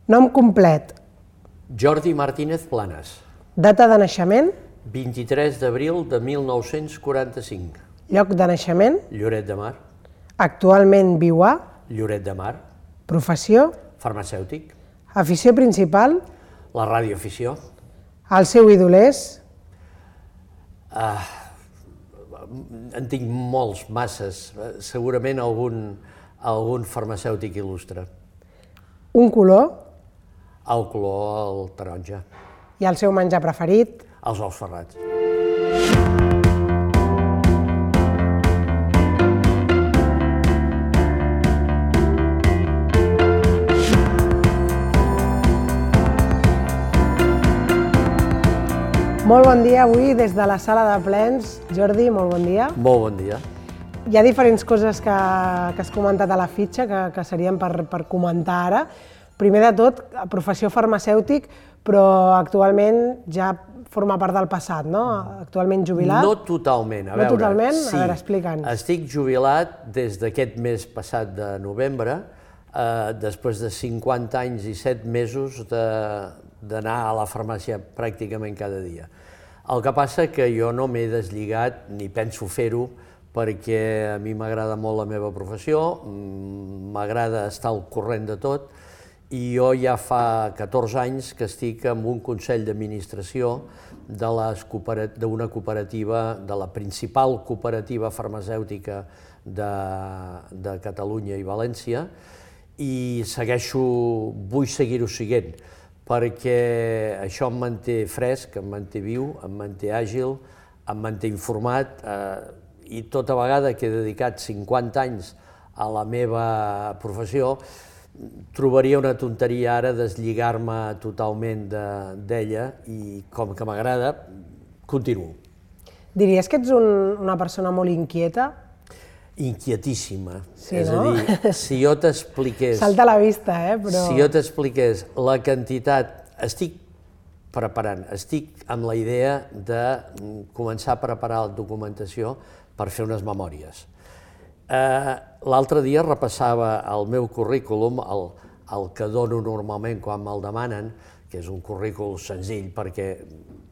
Nom complet. Jordi Martínez Planas. Data de naixement. 23 d'abril de 1945. Lloc de naixement. Lloret de Mar. Actualment viu a. Lloret de Mar. Professió. Farmacèutic. Afició principal. La radioafició. El seu ídol és. En tinc molts, masses. Segurament algun farmacèutic il·lustre. Un color. El color, el taronja. I el seu menjar preferit. Els ous ferrats. Molt bon dia avui des de la sala de plens. Jordi, molt bon dia. Molt bon dia. Hi ha diferents coses que has comentat a la fitxa que serien per comentar ara. Primer de tot, professió farmacèutic, però actualment ja forma part del passat, no? Actualment jubilat? No totalment, a veure. No totalment? Sí. A veure, explica'ns. Estic jubilat des d'aquest mes passat de novembre, després de 50 anys i 7 mesos d'anar a la farmàcia pràcticament cada dia. El que passa que jo no m'he deslligat, ni penso fer-ho, perquè a mi m'agrada molt la meva professió, m'agrada estar al corrent de tot, i jo ja fa 14 anys que estic en un consell d'administració d'una cooperativa, de la principal cooperativa farmacèutica de Catalunya i València, i vull seguir-ho siguent, perquè això em manté fresc, em manté viu, em manté àgil, em manté informat, i tota vegada que he dedicat 50 anys a la meva professió, trobaria una tonteria ara deslligar-me totalment d'ella i com que m'agrada, continuo. Diries que ets una persona molt inquieta? Inquietíssima. Sí, és no? a dir, si jo t'expliqués... Salta a la vista, però... Si jo t'expliqués la quantitat... Estic amb la idea de començar a preparar la documentació per fer unes memòries. L'altre dia repassava el meu currículum, el que dono normalment quan me'l demanen, que és un currículum senzill perquè,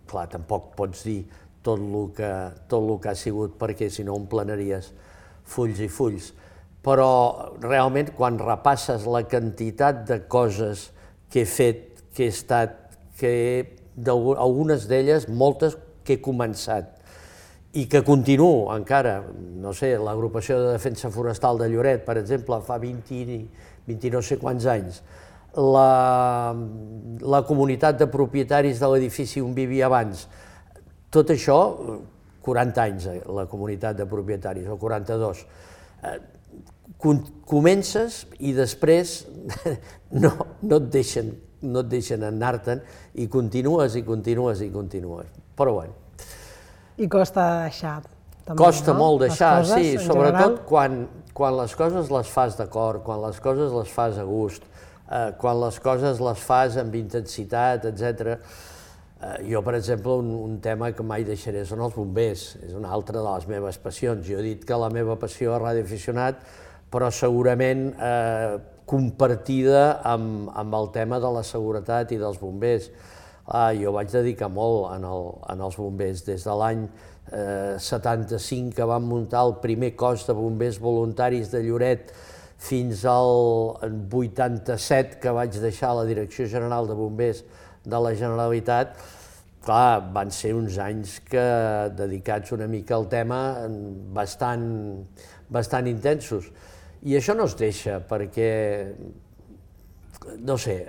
clar, tampoc pots dir tot el que ha sigut perquè si no omplanaries fulls i fulls, però realment quan repasses la quantitat de coses que he fet, que he estat, algunes d'elles, moltes que he començat, i que continuo encara, no sé, l'agrupació de defensa forestal de Lloret, per exemple, fa 20 no sé quants anys, la comunitat de propietaris de l'edifici on vivia abans, tot això, 40 anys, la comunitat de propietaris, o 42, comences i després no et deixen anar-te'n i continues, però bueno. I costa deixar, també, costa no? Molt deixar, coses, sí, sobretot quan les coses les fas d'acord, quan les coses les fas a gust, quan les coses les fas amb intensitat, etc. Jo, per exemple, un tema que mai deixaré són els bombers, és una altra de les meves passions. Jo he dit que la meva passió és radioaficionat, però segurament compartida amb el tema de la seguretat i dels bombers. Jo vaig dedicar molt en els bombers, des de l'any 75 que vam muntar el primer cos de bombers voluntaris de Lloret fins al 87 que vaig deixar la Direcció General de Bombers de la Generalitat. Clar, van ser uns anys dedicats una mica al tema bastant intensos. I això no es deixa perquè, no sé,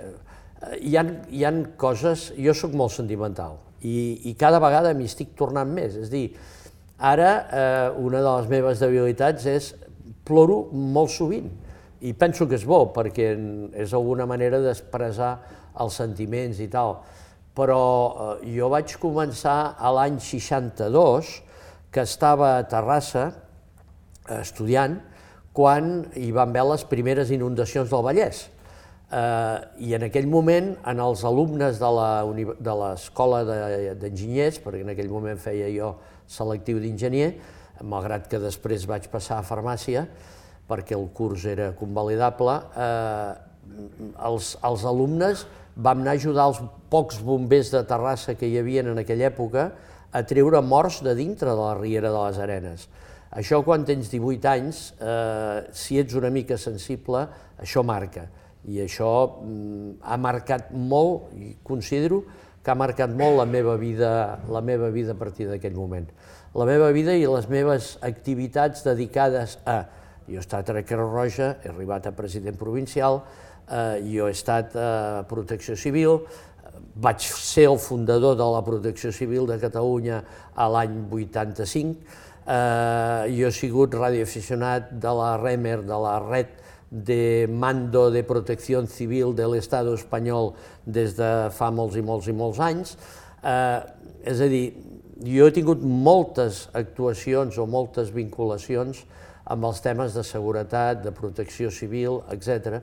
hi ha coses... Jo soc molt sentimental i cada vegada m'hi estic tornant més. És a dir, ara una de les meves debilitats és ploro molt sovint i penso que és bo perquè és alguna manera d'expressar els sentiments i tal. Però jo vaig començar a l'any 62, que estava a Terrassa estudiant, quan hi van haver les primeres inundacions del Vallès. I en aquell moment, en els alumnes de l'escola d'enginyers, perquè en aquell moment feia jo selectiu d'enginyer, malgrat que després vaig passar a farmàcia, perquè el curs era convalidable, els alumnes vam anar a ajudar els pocs bombers de Terrassa que hi havia en aquella època a treure morts de dintre de la riera de les Arenes. Això quan tens 18 anys, si ets una mica sensible, això marca. I això ha marcat molt, i considero que ha marcat molt la meva vida a partir d'aquell moment. La meva vida i les meves activitats dedicades a... Jo he estat a Creu Roja, he arribat a president provincial, jo he estat a Protecció Civil, vaig ser el fundador de la Protecció Civil de Catalunya a l'any 85, jo he sigut radioaficionat de la REMER, de la Red de Mando de Protección Civil de l'Estado espanyol des de fa molts i molts i molts anys. És a dir, jo he tingut moltes actuacions o moltes vinculacions amb els temes de seguretat, de protecció civil, etc.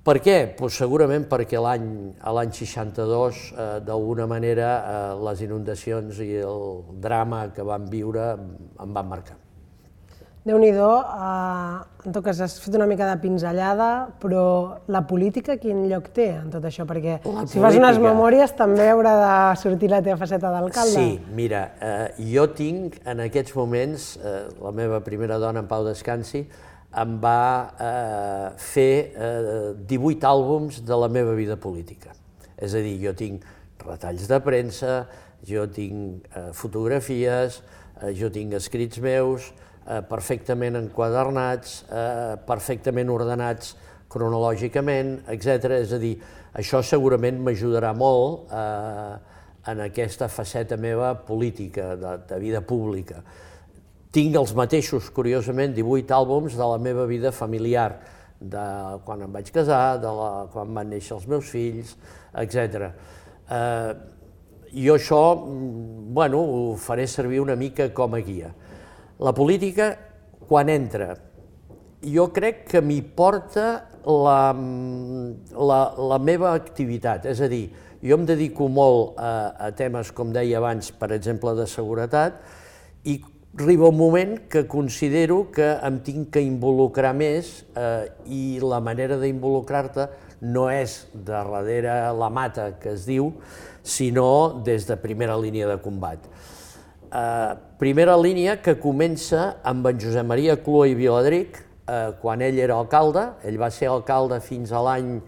Per què? Doncs segurament perquè l'any 62, d'alguna manera, les inundacions i el drama que vam viure em van marcar. Déu-n'hi-do, en tot cas has fet una mica de pinzellada, però la política quin lloc té en tot això? Perquè si fas unes memòries també haurà de sortir la teva faceta d'alcalde. Sí, mira, jo tinc en aquests moments, la meva primera dona, en Pau Descansi, em va fer 18 àlbums de la meva vida política. És a dir, jo tinc retalls de premsa, jo tinc fotografies, jo tinc escrits meus, perfectament enquadernats, perfectament ordenats cronològicament, etc. És a dir, això segurament m'ajudarà molt en aquesta faceta meva política, de vida pública. Tinc els mateixos, curiosament, 18 àlbums de la meva vida familiar, de quan em vaig casar, de quan van néixer els meus fills, etc. Jo això, bueno, ho faré servir una mica com a guia. La política, quan entra, jo crec que m'hi porta la meva activitat, és a dir, jo em dedico molt a temes, com deia abans, per exemple, de seguretat, i arriba un moment que considero que em tinc que involucrar més i la manera d'involucrar-te no és darrere la mata, que es diu, sinó des de primera línia de combat. Primera línia que comença amb en Josep Maria Clua i Viladric, quan ell era alcalde. Ell va ser alcalde fins a l'any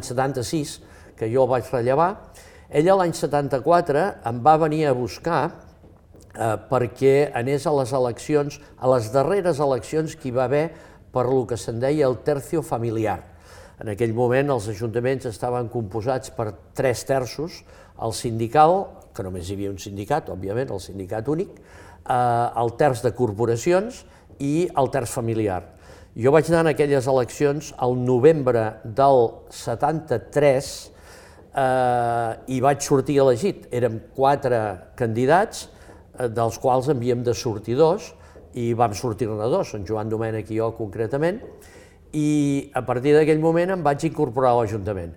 76, que jo el vaig rellevar. Ell l'any 74 em va venir a buscar perquè anés a les eleccions, a les darreres eleccions que hi va haver per lo que se'n deia el tercio familiar. En aquell moment els ajuntaments estaven composats per 3/3, el sindical, que només hi havia un sindicat, òbviament, el sindicat únic, el terç de corporacions i el terç familiar. Jo vaig anar en aquelles eleccions al novembre del 73 i vaig sortir elegit. Érem 4 candidats, dels quals en havíem de sortir 2, i vam sortir-ne 2, en Joan Domènech i jo concretament, i a partir d'aquell moment em vaig incorporar a l'Ajuntament.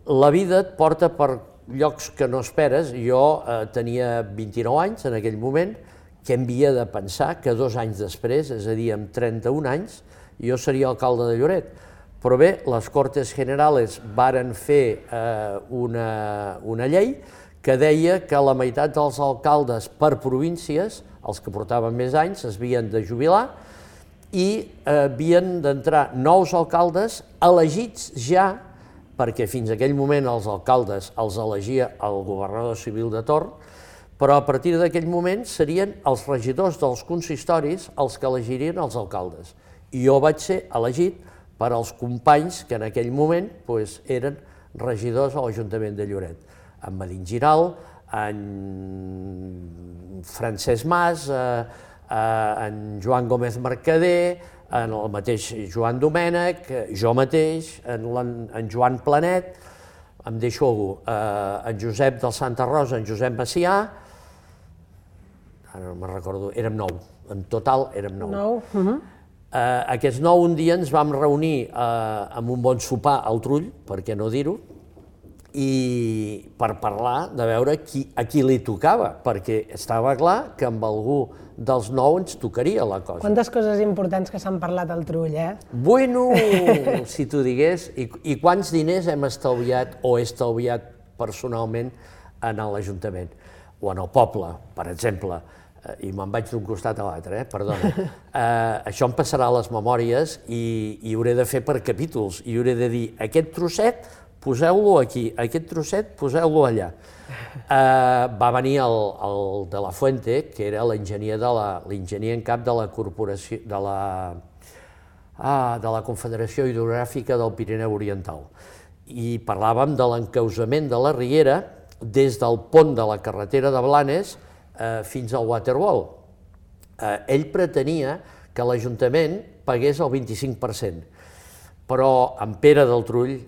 La vida et porta per llocs que no esperes. Jo tenia 29 anys en aquell moment, que em havia de pensar que 2 anys després, és a dir, amb 31 anys, jo seria alcalde de Lloret. Però bé, les Cortes Generales varen fer una llei que deia que la meitat dels alcaldes per províncies, els que portaven més anys, es havien de jubilar i havien d'entrar nous alcaldes elegits ja, perquè fins a aquell moment els alcaldes els elegia el governador civil de torn, però a partir d'aquell moment serien els regidors dels consistoris els que elegirien els alcaldes. I jo vaig ser elegit per als companys que en aquell moment eren regidors a l'Ajuntament de Lloret. En Medin Giral, en Francesc Mas, en Joan Gómez Mercader, en el mateix Joan Domènech, jo mateix, en Joan Planet, em deixo algú, en Josep del Santa Rosa, en Josep Macià, ara no me'n recordo, érem 9, en total érem 9. Aquests 9 un dia ens vam reunir amb un bon sopar al Trull, per què no dir-ho, i per parlar, de veure a qui li tocava, perquè estava clar que amb algú dels nou ens tocaria la cosa. Quantes coses importants que s'han parlat al Trull, eh? Bueno, si t'ho digués, i quants diners hem estalviat o he estalviat personalment en l'Ajuntament o en el poble, per exemple, i me'n vaig d'un costat a l'altre, perdona. Això em passarà a les memòries i hauré de fer per capítols, i hauré de dir, aquest trosset poseu-lo aquí, aquest trosset poseu-lo allà. Va venir el de la Fuente, que era l'enginyer en cap de la corporació, de la Confederació Hidrogràfica del Pirineu Oriental, i parlàvem de l'encausament de la riera des del pont de la carretera de Blanes fins al Waterwall. Ell pretenia que l'Ajuntament pagués el 25%, però en Pere del Trull,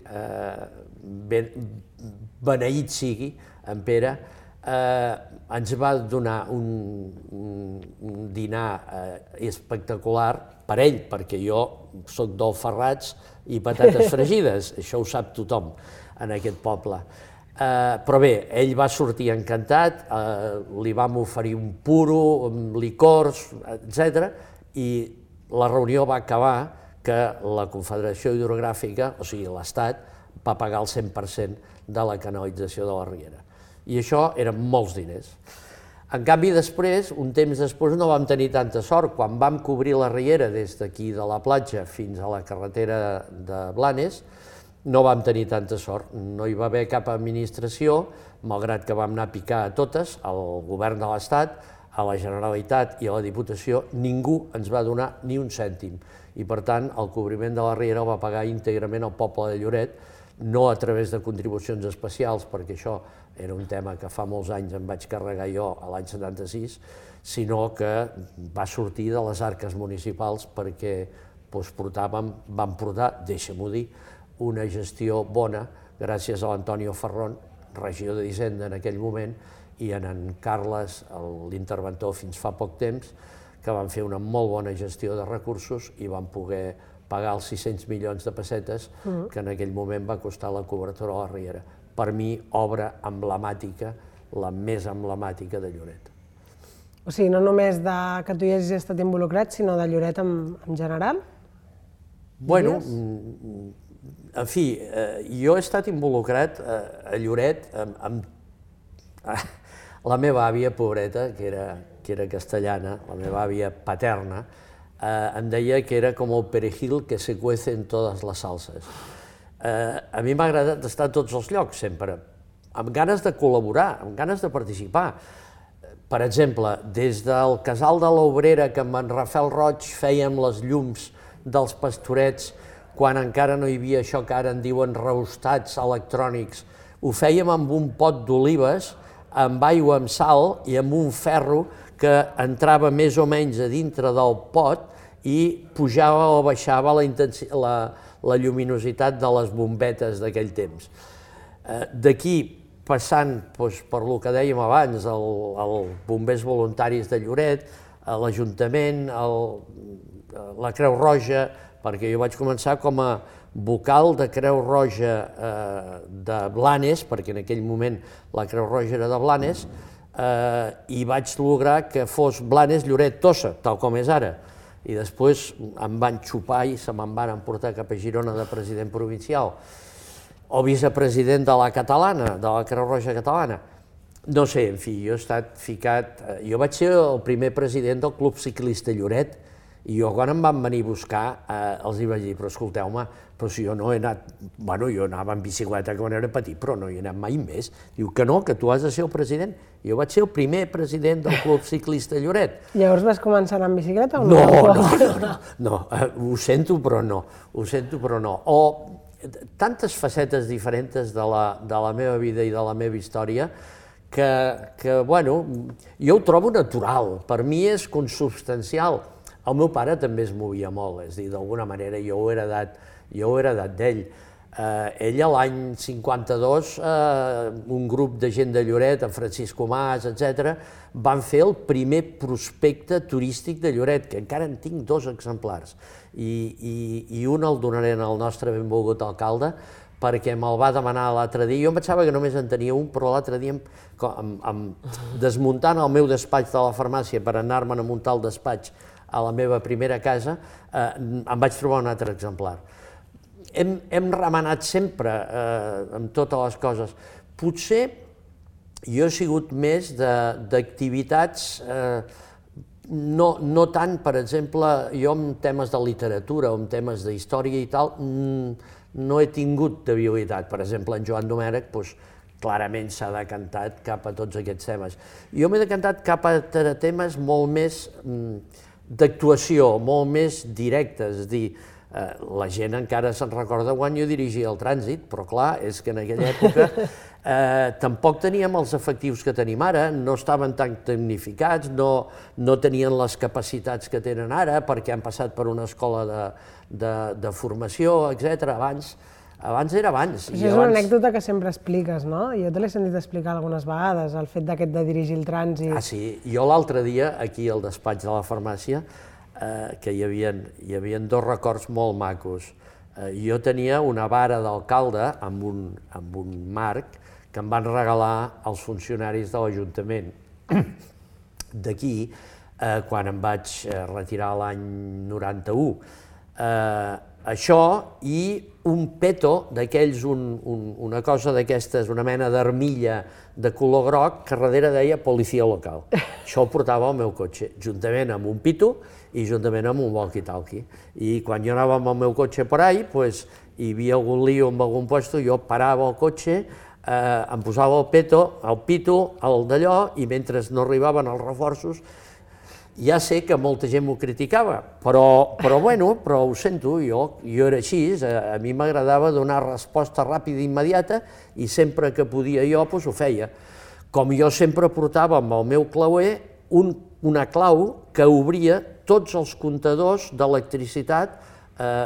beneït sigui en Pere, ens va donar un dinar espectacular per ell, perquè jo soc d'Alfarrats i patates fregides, això ho sap tothom en aquest poble. Però bé, ell va sortir encantat, li vam oferir un puro, licors, etc. I la reunió va acabar que la Confederació Hidrogràfica, o sigui l'Estat, va pagar el 100% de la canalització de la riera. I això eren molts diners. En canvi, després, un temps després, no vam tenir tanta sort. Quan vam cobrir la riera des d'aquí de la platja fins a la carretera de Blanes, no vam tenir tanta sort. No hi va haver cap administració, malgrat que vam anar a picar a totes, al govern de l'Estat, a la Generalitat i a la Diputació, ningú ens va donar ni un cèntim. I, per tant, el cobriment de la riera el va pagar íntegrament el poble de Lloret, no a través de contribucions especials, perquè això era un tema que fa molts anys em vaig carregar jo a l'any 76, sinó que va sortir de les arques municipals perquè vam portar, deixa-m'ho dir, una gestió bona gràcies a l'Antonio Ferrón, regidor d'Hisenda en aquell moment, i en Carles, l'interventor fins fa poc temps, que van fer una molt bona gestió de recursos i van poder pagar els 600 milions de pessetes que en aquell moment va costar la cobertura de la riera. Per mi, obra emblemàtica, la més emblemàtica de Lloret. O sigui, no només que tu hi hagis estat involucrat, sinó de Lloret en general? Bueno, en fi, jo he estat involucrat a Lloret amb la meva àvia, pobreta, que era castellana, la meva àvia paterna, em deia que era com el perejil que se cuece en totes les salses. A mi m'ha agradat estar a tots els llocs, sempre, amb ganes de col·laborar, amb ganes de participar. Per exemple, des del casal de l'Obrera, que amb en Rafael Roig fèiem les llums dels pastorets, quan encara no hi havia això que ara en diuen reostats electrònics, ho fèiem amb un pot d'olives, amb aigua amb sal i amb un ferro que entrava més o menys a dintre del pot i pujava o baixava la lluminositat de les bombetes d'aquell temps. D'aquí, passant per el que dèiem abans, els bombers voluntaris de Lloret, l'Ajuntament, la Creu Roja, perquè jo vaig començar com a vocal de Creu Roja de Blanes, perquè en aquell moment la Creu Roja era de Blanes, i vaig lograr que fos Blanes-Lloret-Tossa, tal com és ara. I després em van xupar i se me'n van emportar cap a Girona de president provincial, o vicepresident de la catalana, de la Creu Roja catalana. No sé, en fi, jo he estat ficat... Jo vaig ser el primer president del Club Ciclista Lloret, i jo quan em van venir a buscar els hi vaig dir, però escolteu-me, però si jo no he anat... Bueno, jo anava en bicicleta quan era petit, però no hi he anat mai més. Diu que no, que tu has de ser el president. Jo vaig ser el primer president del Club Ciclista Lloret. Llavors vas començar a anar en bicicleta o no? No, ho sento però no, O tantes facetes diferents de la meva vida i de la meva història que, bueno, jo ho trobo natural, per mi és consubstancial. El meu pare també es movia molt, és a dir, d'alguna manera jo ho he heredat d'ell. Ella, l'any 52, un grup de gent de Lloret, en Francisco Mas, etc., van fer el primer prospecte turístic de Lloret, que encara en tinc 2 exemplars, i un el donaré al nostre benvolgut alcalde, perquè me'l va demanar l'altre dia. Jo em pensava que només en tenia un, però l'altre dia, desmuntant el meu despatx de la farmàcia per anar-me'n a muntar el despatx a la meva primera casa, em vaig trobar un altre exemplar. Hem remenat sempre amb totes les coses. Potser jo he sigut més d'activitats, no tant, per exemple, jo en temes de literatura o en temes d'història i tal, no he tingut debilitat. Per exemple, en Joan Domènech, clarament s'ha decantat cap a tots aquests temes. Jo m'he decantat cap a temes molt més d'actuació, molt més directes, és a dir, la gent encara se'n recorda quan jo dirigia el trànsit, però clar, és que en aquella època tampoc teníem els efectius que tenim ara, no estaven tan tecnificats, no tenien les capacitats que tenen ara, perquè han passat per una escola de formació, etc. Abans era abans. Això és una anècdota que sempre expliques, no? Jo te l'he sentit explicar algunes vegades, el fet d'aquest de dirigir el trànsit. Ah, sí. Jo l'altre dia, aquí al despatx de la farmàcia, que hi havia 2 records molt macos. Jo tenia una vara d'alcalde amb un marc que em van regalar els funcionaris de l'Ajuntament d'aquí, quan em vaig retirar l'any 91. Això i un peto d'aquells, una cosa d'aquestes, una mena d'armilla de color groc que darrere deia policia local. Això ho portava al meu cotxe, juntament amb un pito i juntament amb un walkie-talkie. I quan jo anava amb el meu cotxe per ahí, hi havia algun lío en algun lloc, jo parava el cotxe, em posava el pito, el d'allò, i mentre no arribaven els reforços, ja sé que molta gent m'ho criticava, però ho sento, jo era així, a mi m'agradava donar resposta ràpida i immediata i sempre que podia jo ho feia. Com jo sempre portava amb el meu clauer una clau que obria tots els comptadors d'electricitat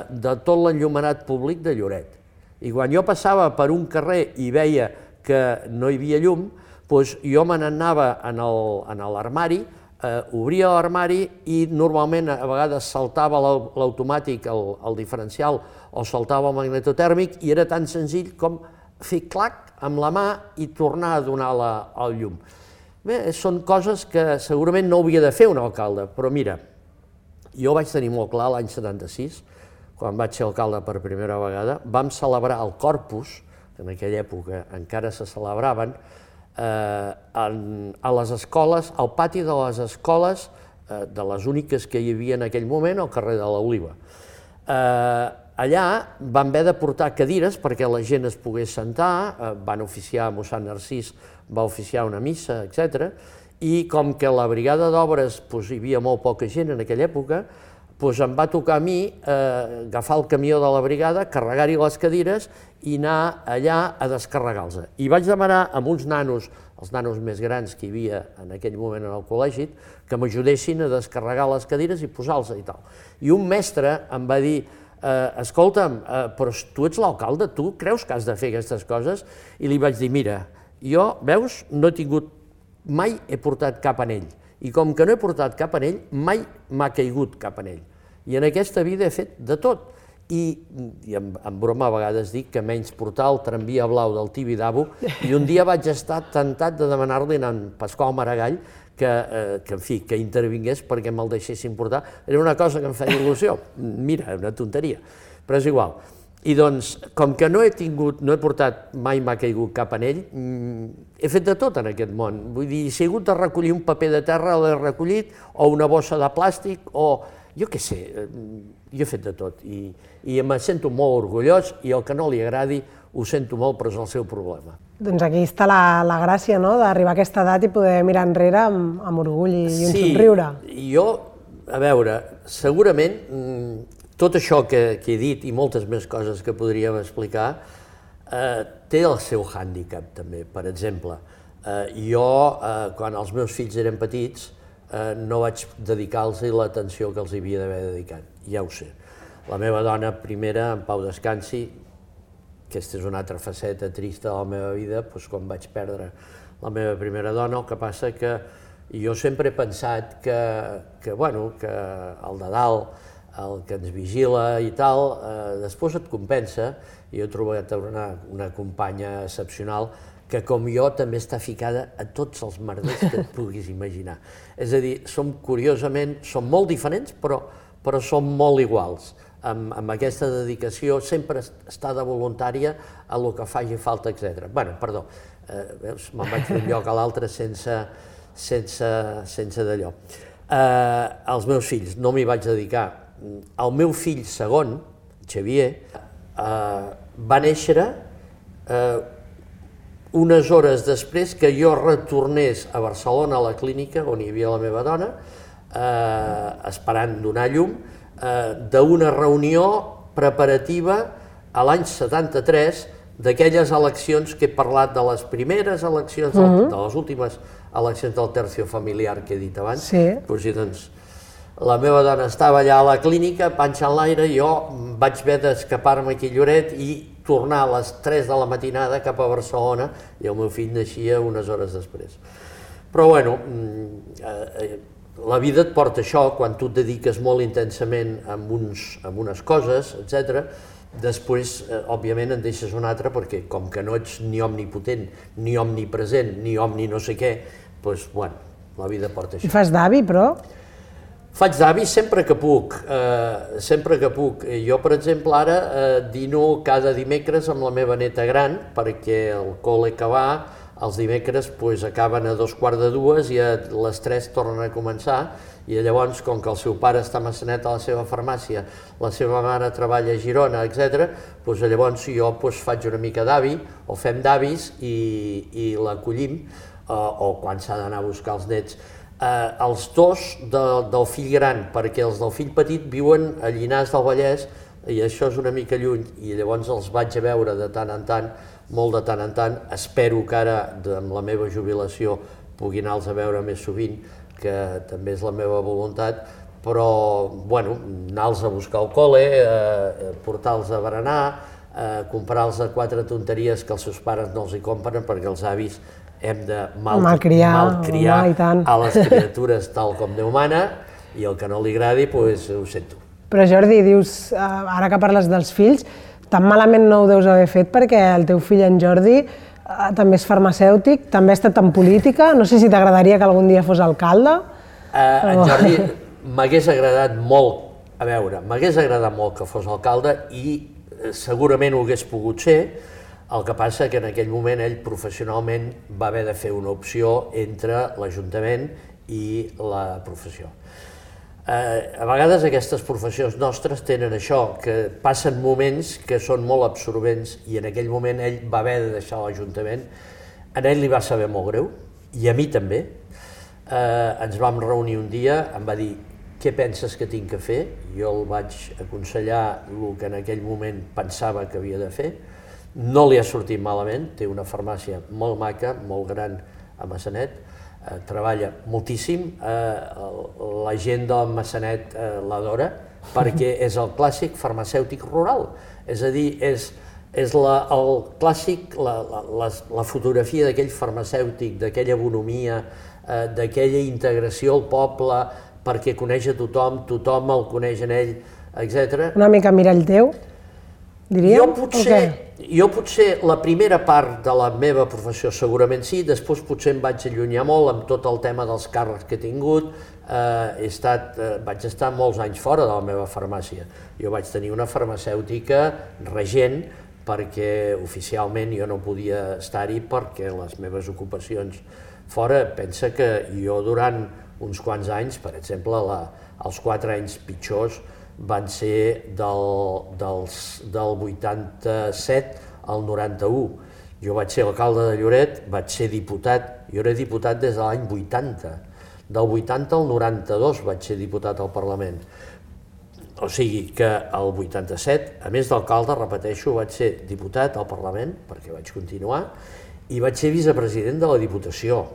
de tot l'enllumenat públic de Lloret. I quan jo passava per un carrer i veia que no hi havia llum, jo me n'anava a l'armari, obria l'armari i normalment a vegades saltava l'automàtic, el diferencial, o saltava el magnetotèrmic, i era tan senzill com fer clac amb la mà i tornar a donar el llum. Bé, són coses que segurament no hauria de fer un alcalde, però mira, jo vaig tenir molt clar l'any 76, quan vaig ser alcalde per primera vegada, vam celebrar el Corpus, que en aquella època encara se celebraven, a les escoles, al pati de les escoles, de les úniques que hi havia en aquell moment, al carrer de l'Oliva. Allà van haver de portar cadires perquè la gent es pogués sentar, van oficiar, mossèn Narcís va oficiar una missa, etc. I com que a la brigada d'obres hi havia molt poca gent en aquella època, em va tocar a mi agafar el camió de la brigada, carregar-hi les cadires i anar allà a descarregar-los. I vaig demanar a uns nanos, els nanos més grans que hi havia en aquell moment en el col·legi, que m'ajudessin a descarregar les cadires i posar-los i tal. I un mestre em va dir, escolta'm, però tu ets l'alcalde, tu creus que has de fer aquestes coses? I li vaig dir, mira, jo, veus, no he tingut, mai he portat cap anell. I com que no he portat cap anell, mai m'ha caigut cap anell. I en aquesta vida he fet de tot. I en broma a vegades dic que menys portar el tramvia blau del Tibidabo, i un dia vaig estar tentat de demanar-li a en Pasqual Maragall que intervingués perquè me'l deixessin portar. Era una cosa que em feia il·lusió. Mira, una tonteria, però és igual. I doncs, com que no he portat, mai m'ha caigut cap anell, he fet de tot en aquest món. Vull dir, si he hagut de recollir un paper de terra, l'he recollit, o una bossa de plàstic, o jo què sé, jo he fet de tot. I em sento molt orgullós, i el que no li agradi ho sento molt, però és el seu problema. Doncs aquí està la gràcia, no?, d'arribar a aquesta edat i poder mirar enrere amb orgull i un somriure. Sí, jo, a veure, segurament tot això que he dit i moltes més coses que podríem explicar té el seu hàndicap també. Per exemple, jo, quan els meus fills eren petits, no vaig dedicar-los l'atenció que els havia d'haver dedicat, ja ho sé. La meva dona primera, en pau descansi, aquesta és una altra faceta trista de la meva vida, quan vaig perdre la meva primera dona. El que passa que jo sempre he pensat que el de dalt, el que ens vigila i tal, després et compensa. Jo he trobat una companya excepcional que, com jo, també està ficada a tots els merders que et puguis imaginar. És a dir, som molt diferents, però som molt iguals. Amb aquesta dedicació, sempre està de voluntària a el que faci falta, etc. Perdó, me'n vaig d'un lloc a l'altre sense d'allò. Els meus fills, no m'hi vaig dedicar. El meu fill segon, Xavier, va néixer unes hores després que jo retornés a Barcelona, a la clínica on hi havia la meva dona, esperant donar llum, d'una reunió preparativa a l'any 73 d'aquelles eleccions que he parlat, de les primeres eleccions, de les últimes eleccions del tercio familiar que he dit abans. Doncs la meva dona estava allà a la clínica, panxa en l'aire, i jo vaig haver d'escapar-me aquí a Lloret i tornar a les 3 de la matinada cap a Barcelona, i el meu fill naixia unes hores després. Però bueno, la vida et porta això, quan tu et dediques molt intensament a unes coses, etc. Després, òbviament, en deixes una altra, perquè com que no ets ni omnipotent, ni omnipresent, ni omni no sé què, doncs, bueno, la vida porta això. I fas d'avi, però? Faig d'avi sempre que puc, sempre que puc. Jo, per exemple, ara dino cada dimecres amb la meva neta gran, perquè el col·le que va, els dimecres acaben a 2:15 i a les 3 tornen a començar, i llavors, com que el seu pare està a Massanet a la seva farmàcia, la seva mare treballa a Girona, etc., llavors jo faig una mica d'avi, o fem d'avis i l'acollim, o quan s'ha d'anar a buscar els nets. Els dos del fill gran, perquè els del fill petit viuen a Llinars del Vallès, i això és una mica lluny, i llavors els vaig a veure de tant en tant, molt de tant en tant. Espero que ara, amb la meva jubilació, pugui anar-los a veure més sovint, que també és la meva voluntat, però, bueno, anar-los a buscar al col·le, portar-los a berenar, comprar-los 4 tonteries que els seus pares no els hi compren, perquè els avis hem de malcriar a les criatures tal com Déu mana, i el que no li agradi, doncs ho sento. Però Jordi, dius, ara que parles dels fills, tan malament no ho deus haver fet, perquè el teu fill, en Jordi, també és farmacèutic, també ha estat en política, no sé si t'agradaria que algun dia fos alcalde? En Jordi m'hagués agradat molt, m'hagués agradat molt que fos alcalde, i segurament ho hagués pogut ser. El que passa que en aquell moment ell professionalment va haver de fer una opció entre l'Ajuntament i la professió. A vegades aquestes professions nostres tenen això, que passen moments que són molt absorbents, i en aquell moment ell va haver de deixar l'Ajuntament. A ell li va saber molt greu, i a mi també. Ens vam reunir un dia, em va dir: què penses que tinc que fer? Jo el vaig aconsellar el que en aquell moment pensava que havia de fer. No li ha sortit malament, té una farmàcia molt maca, molt gran a Massanet, treballa moltíssim, la gent del Massanet l'adora, perquè és el clàssic farmacèutic rural, és a dir, és el clàssic, la fotografia d'aquell farmacèutic, d'aquella bonomia, d'aquella integració al poble, perquè coneix a tothom, tothom el coneix en ell, etc. Una mica mirall teu, diríem? Jo potser la primera part de la meva professió segurament sí, després potser em vaig allunyar molt amb tot el tema dels càrrecs que he tingut. Vaig estar molts anys fora de la meva farmàcia. Jo vaig tenir una farmacèutica regent, perquè oficialment jo no podia estar-hi perquè les meves ocupacions fora. Pensa que jo durant uns quants anys, per exemple, els 4 anys pitjors, van ser del 87 al 91. Jo vaig ser alcalde de Lloret, vaig ser diputat, jo era diputat des de l'any 80. Del 80 al 92 vaig ser diputat al Parlament. O sigui que el 87, a més d'alcalde, repeteixo, vaig ser diputat al Parlament, perquè vaig continuar, i vaig ser vicepresident de la Diputació,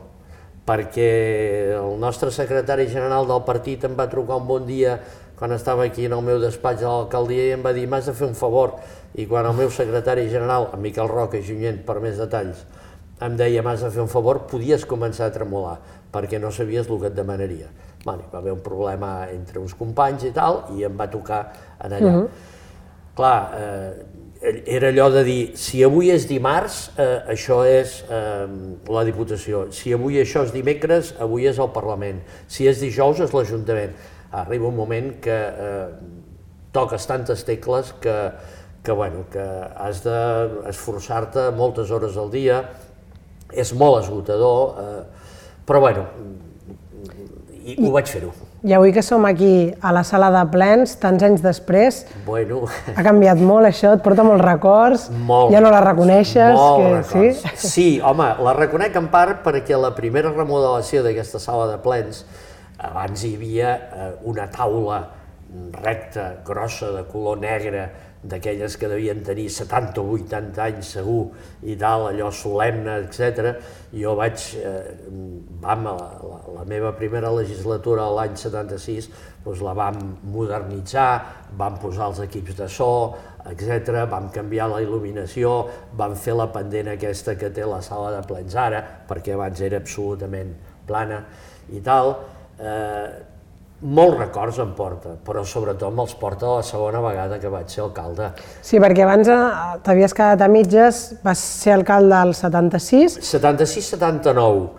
perquè el nostre secretari general del partit em va trucar un bon dia quan estava aquí en el meu despatx a l'alcaldia i em va dir m'has de fer un favor, i quan el meu secretari general, en Miquel Roca i Junyent, per més detalls, em deia m'has de fer un favor, podies començar a tremolar, perquè no sabies el que et demanaria. Va haver un problema entre uns companys i tal, i em va tocar en allà. Clar, era allò de dir, si avui és dimarts, això és la Diputació, si avui això és dimecres, avui és el Parlament, si és dijous és l'Ajuntament. Arriba un moment que toques tantes tecles que has d'esforçar-te moltes hores al dia, és molt esgotador, però bueno, ho vaig fer-ho. I avui que som aquí a la sala de plens, tants anys després, ha canviat molt això, et porta molts records, ja no la reconeixes? Molts records. Sí, home, la reconec en part perquè la primera remodelació d'aquesta sala de plens, abans hi havia una taula recta, grossa, de color negre, d'aquelles que devien tenir 70 o 80 anys segur, i tal, allò solemne, etc. Jo la meva primera legislatura l'any 76, la vam modernitzar, vam posar els equips de so, etc. Vam canviar la il·luminació, vam fer la pendent aquesta que té la sala de plens ara, perquè abans era absolutament plana i tal. Molts records em porta, però sobretot me'ls porta la segona vegada que vaig ser alcalde. Sí, perquè abans t'havies quedat a mitges, vas ser alcalde al 76? 76-79,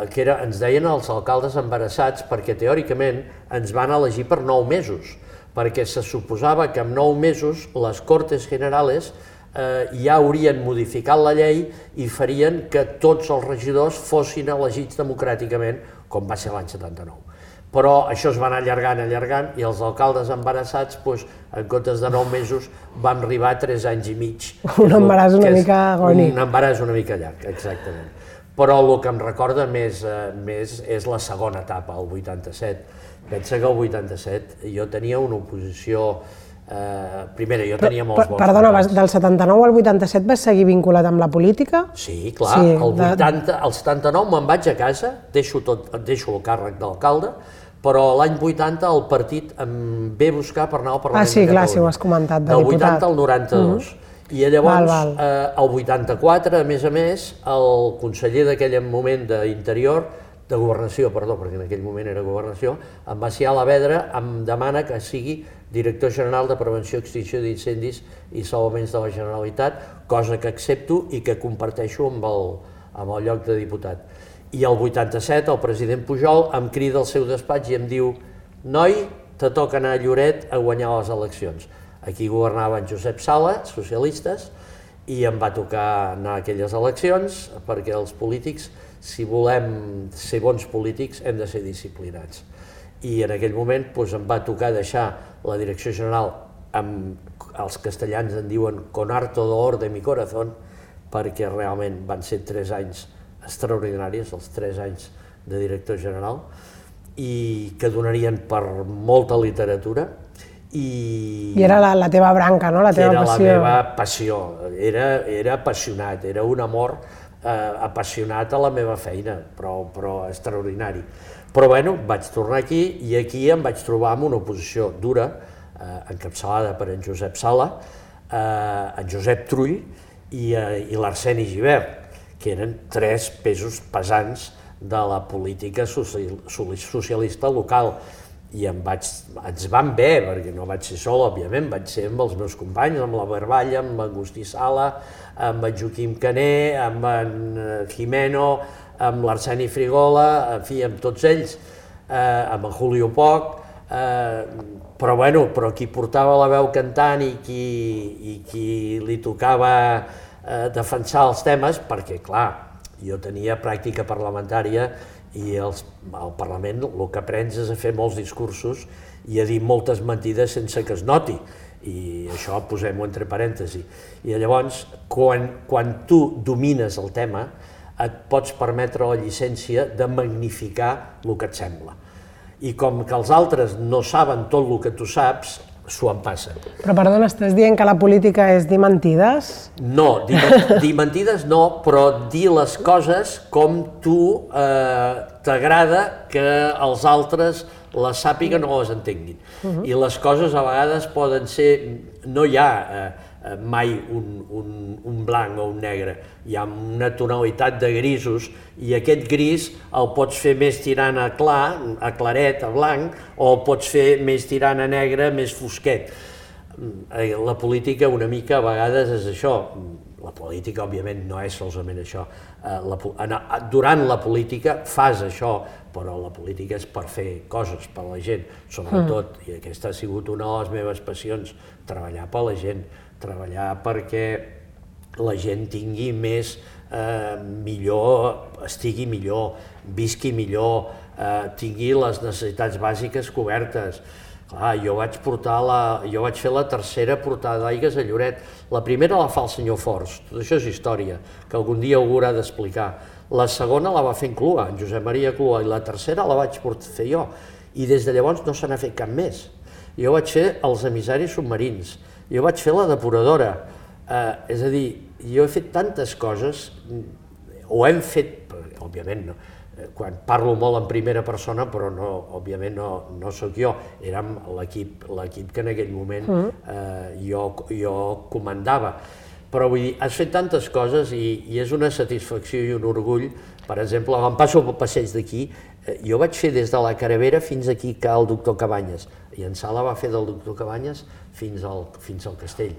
que ens deien els alcaldes embarassats perquè teòricament ens van elegir per 9 mesos, perquè se suposava que en 9 mesos les Cortes Generales ja haurien modificat la llei i farien que tots els regidors fossin elegits democràticament, com va ser l'any 79. Però això es va anar allargant, i els alcaldes embarassats, en comptes de 9 mesos, van arribar a 3 anys i mig. Un embaràs una mica agònic. Un embaràs una mica llarg, exactament. Però el que em recorda més és la segona etapa, el 87. Pensa que el 87 jo tenia una oposició... Primera, jo tenia molts bons... Perdona, del 79 al 87 vas seguir vinculat amb la política? Sí, clar. El 79 me'n vaig a casa, deixo el càrrec d'alcalde, però l'any 80 el partit em ve a buscar per anar al Parlament de Catalunya. Ah, sí, clar, sí, ho has comentat, de diputat. Del 80 al 92. I llavors, el 84, a més, el conseller d'aquell moment d'Interior, de Governació, perdó, perquè en aquell moment era Governació, en Macià Alavedra em demana que sigui director general de Prevenció i Extinció d'Incendis i Salvaments de la Generalitat, cosa que accepto i que comparteixo amb el lloc de diputat. I el 87 el president Pujol em crida al seu despatx i em diu «Noi, te toca anar a Lloret a guanyar les eleccions». Aquí governava en Josep Sala, socialistes, i em va tocar anar a aquelles eleccions perquè els polítics, si volem ser bons polítics, hem de ser disciplinats. I en aquell moment em va tocar deixar la direcció general els castellans en diuen con harto dolor de mi corazón, perquè realment van ser 3 anys extraordinaris, els 3 anys de director general, i que donarien per molta literatura. I era la teva branca, no? La teva passió. Era la meva passió, era apassionat, era un amor apassionat a la meva feina, però extraordinari. Però bueno, vaig tornar aquí i aquí em vaig trobar amb una oposició dura, encapçalada per en Josep Sala, en Josep Trull i l'Arseni Gibert, que eren 3 pesos pesants de la política socialista local. I ens van bé, perquè no vaig ser sol, òbviament, vaig ser amb els meus companys, amb la Barballa, amb Agustí Sala, amb en Joaquim Caner, amb en Jimeno, amb l'Arseni Frigola, en fi, amb tots ells, amb en Julio Poch, però qui portava la veu cantant i qui li tocava defensar els temes, perquè, clar, jo tenia pràctica parlamentària i al Parlament el que aprens és a fer molts discursos i a dir moltes mentides sense que es noti, i això posem-ho entre parèntesi. I llavors, quan tu domines el tema, et pots permetre la llicència de magnificar el que et sembla. I com que els altres no saben tot el que tu saps, s'ho empassen. Però perdona, estàs dient que la política és dir mentides? No, dir mentides no, però dir les coses com tu t'agrada que els altres les sàpiguen o les entenguin. I les coses a vegades poden ser, no hi ha mai un blanc o un negre, hi ha una tonalitat de grisos i aquest gris el pots fer més tirant a clar, a claret, a blanc, o el pots fer més tirant a negre, més fosquet. La política una mica a vegades és això. La política, òbviament, no és solament això. Durant la política fas això, però la política és per fer coses per a la gent, sobretot, i aquesta ha sigut una de les meves passions, treballar per a la gent, treballar perquè la gent tingui més, millor, estigui millor, visqui millor, tingui les necessitats bàsiques cobertes. Clar, jo vaig fer la tercera portada d'aigues a Lloret. La primera la fa el senyor Forns, tot això és història, que algun dia ho haurà d'explicar. La segona la va fer en Clua, en Josep Maria Clua, i la tercera la vaig fer jo. I des de llavors no se n'ha fet cap més. Jo vaig fer els emissaris submarins, jo vaig fer la depuradora. És a dir, jo he fet tantes coses, o hem fet, òbviament no, quan parlo molt en primera persona, però no, òbviament no sóc jo, érem l'equip que en aquell moment jo comandava. Però vull dir, has fet tantes coses i és una satisfacció i un orgull. Per exemple, quan passo pel passeig d'aquí, jo vaig fer des de la Caravera fins aquí que el doctor Cabanyes, i en Sala va fer del doctor Cabanyes fins al castell.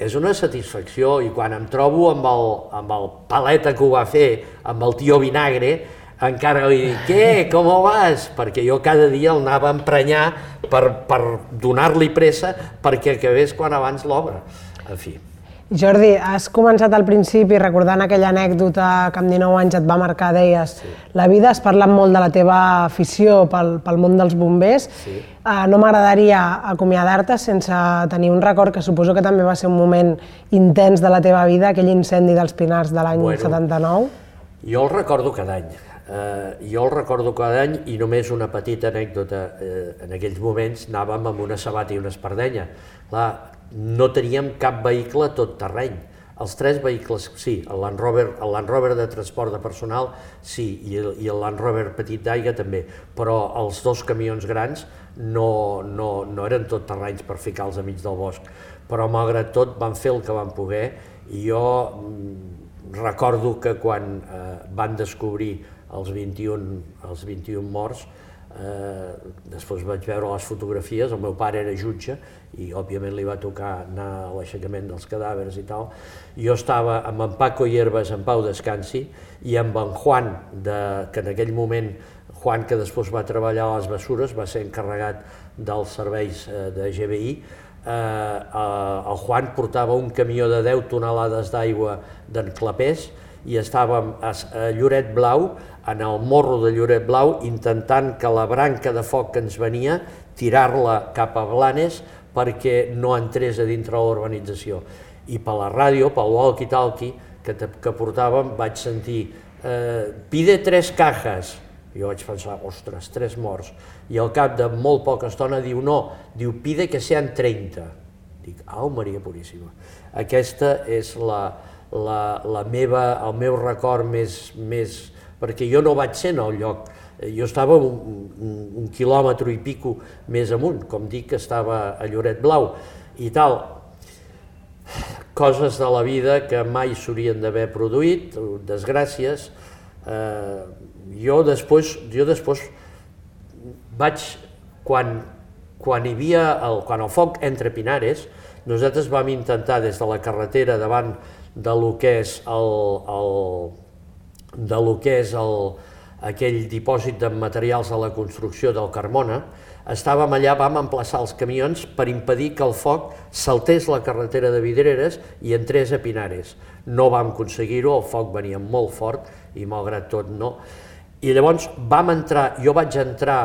És una satisfacció, i quan em trobo amb el paleta que ho va fer, amb el tio Vinagre, encara li dic, què, com vas? Perquè jo cada dia el anava a emprenyar per donar-li pressa perquè acabés quan abans l'obra. En fi. Jordi, has començat al principi recordant aquella anècdota que amb 19 anys et va marcar, deies, la vida, has parlat molt de la teva afició pel món dels bombers. No m'agradaria acomiadar-te sense tenir un record que suposo que també va ser un moment intens de la teva vida, aquell incendi dels Pinars de l'any 79. Jo el recordo cada any. I només una petita anècdota. En aquells moments anàvem amb una sabata i una espardenya. Clar, no teníem cap vehicle tot terreny. Els tres vehicles, sí, el Land Rover de transport de personal, sí, i el Land Rover petit d'aigua també, però els dos camions grans no eren tot terrenys per ficar-los enmig del bosc. Però malgrat tot vam fer el que vam poder, i jo recordo que quan van descobrir els 21 morts, després vaig veure les fotografies, el meu pare era jutge i òbviament li va tocar anar a l'aixecament dels cadàvers i tal. Jo estava amb en Paco Hierbas, en pau descansi, i amb en Juan, que en aquell moment, Juan, que després va treballar a les Bessures, va ser encarregat dels serveis de GBI. El Juan portava un camió de 10 tonelades d'aigua d'en Clapés i estàvem a Lloret Blau, en el morro de Lloret Blau, intentant que la branca de foc que ens venia, tirar-la cap a Blanes perquè no entrés a dintre l'urbanització. I per la ràdio, pel walkie-talkie que portàvem, vaig sentir «Pide 3 cajas». Jo vaig pensar, ostres, 3 morts. I al cap de molt poca estona diu no, diu «Pide que sean 30». Dic, au, Maria Puríssima. Aquesta és el meu record més... perquè jo no vaig ser en el lloc, jo estava un quilòmetre i pico més amunt, com dic que estava a Lloret Blau i tal. Coses de la vida que mai s'haurien d'haver produït, desgràcies. Jo després vaig, quan el foc entre Pinares, nosaltres vam intentar des de la carretera davant de lo que és aquell dipòsit de materials de la construcció del Carmona, estàvem allà, vam emplaçar els camions per impedir que el foc saltés la carretera de Vidreres i entrés a Pinares. No vam aconseguir-ho, el foc venia molt fort i malgrat tot no. I llavors jo vaig entrar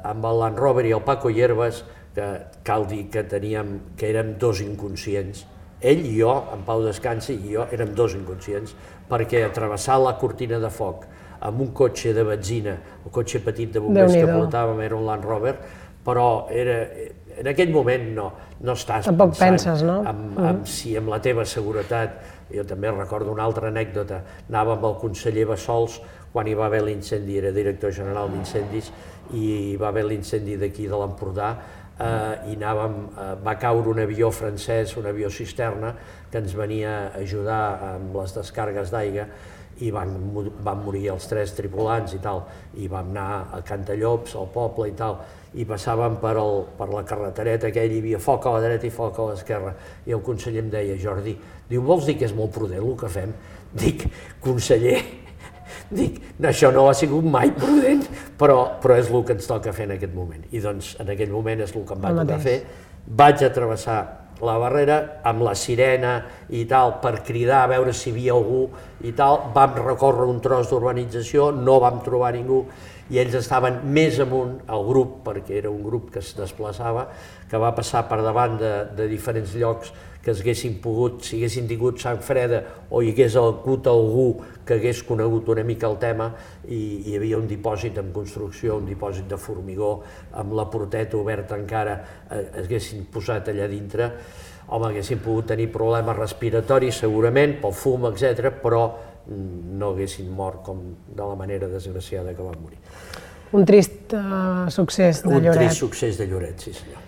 amb el Land Rover i el Paco Hierbas, que cal dir que érem dos inconscients. Ell i jo, en pau descansi, i jo érem dos inconscients, perquè travessar la cortina de foc amb un cotxe de benzina, el cotxe petit de bombers que portàvem era un Land Rover, però en aquell moment no estàs Tampoc penses, no? amb la teva seguretat. Jo també recordo una altra anècdota, anava amb el conseller Bassols quan hi va haver l'incendi, era director general d'incendis, i hi va haver l'incendi d'aquí de l'Empordà, i va caure un avió francès, un avió cisterna, que ens venia a ajudar amb les descàrregues d'aigua, i van morir els 3 tripulants i tal, i vam anar a Cantallops, al poble i tal, i passàvem per la carretereta aquella, hi havia foc a la dreta i foc a l'esquerra, i el conseller em deia, Jordi, diu, vols dir que és molt prudent el que fem? Dic, conseller, això no ha sigut mai prudent, però és el que ens toca fer en aquest moment. I doncs en aquell moment és el que em va tocar fer. Vaig a travessar la barrera amb la sirena i tal per cridar a veure si hi havia algú i tal. Vam recórrer un tros d'urbanització, no vam trobar ningú i ells estaven més amunt, el grup, perquè era un grup que es desplaçava, que va passar per davant de diferents llocs que s'haguessin pogut, si haguessin tingut sang freda o hi hagués hagut algú que hagués conegut una mica el tema, i hi havia un dipòsit en construcció, un dipòsit de formigó, amb la porteta oberta encara, haguessin posat allà dintre, home, haguessin pogut tenir problemes respiratoris segurament, pel fum, etc., però no haguessin mort com de la manera desgraciada que van morir. Un trist succés de Lloret. Un trist succés de Lloret, sí senyor.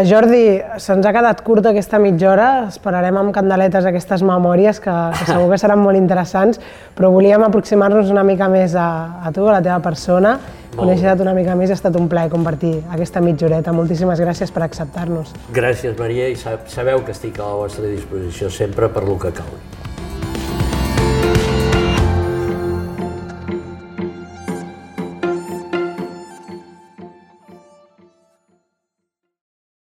Jordi, se'ns ha quedat curta aquesta mitja hora, esperarem amb candeletes aquestes memòries que segur que seran molt interessants, però volíem aproximar-nos una mica més a tu, a la teva persona, conèixer-te una mica més, ha estat un plaer compartir aquesta mitja horeta. Moltíssimes gràcies per acceptar-nos. Gràcies, Maria, i sabeu que estic a la vostra disposició sempre per lo que calgui.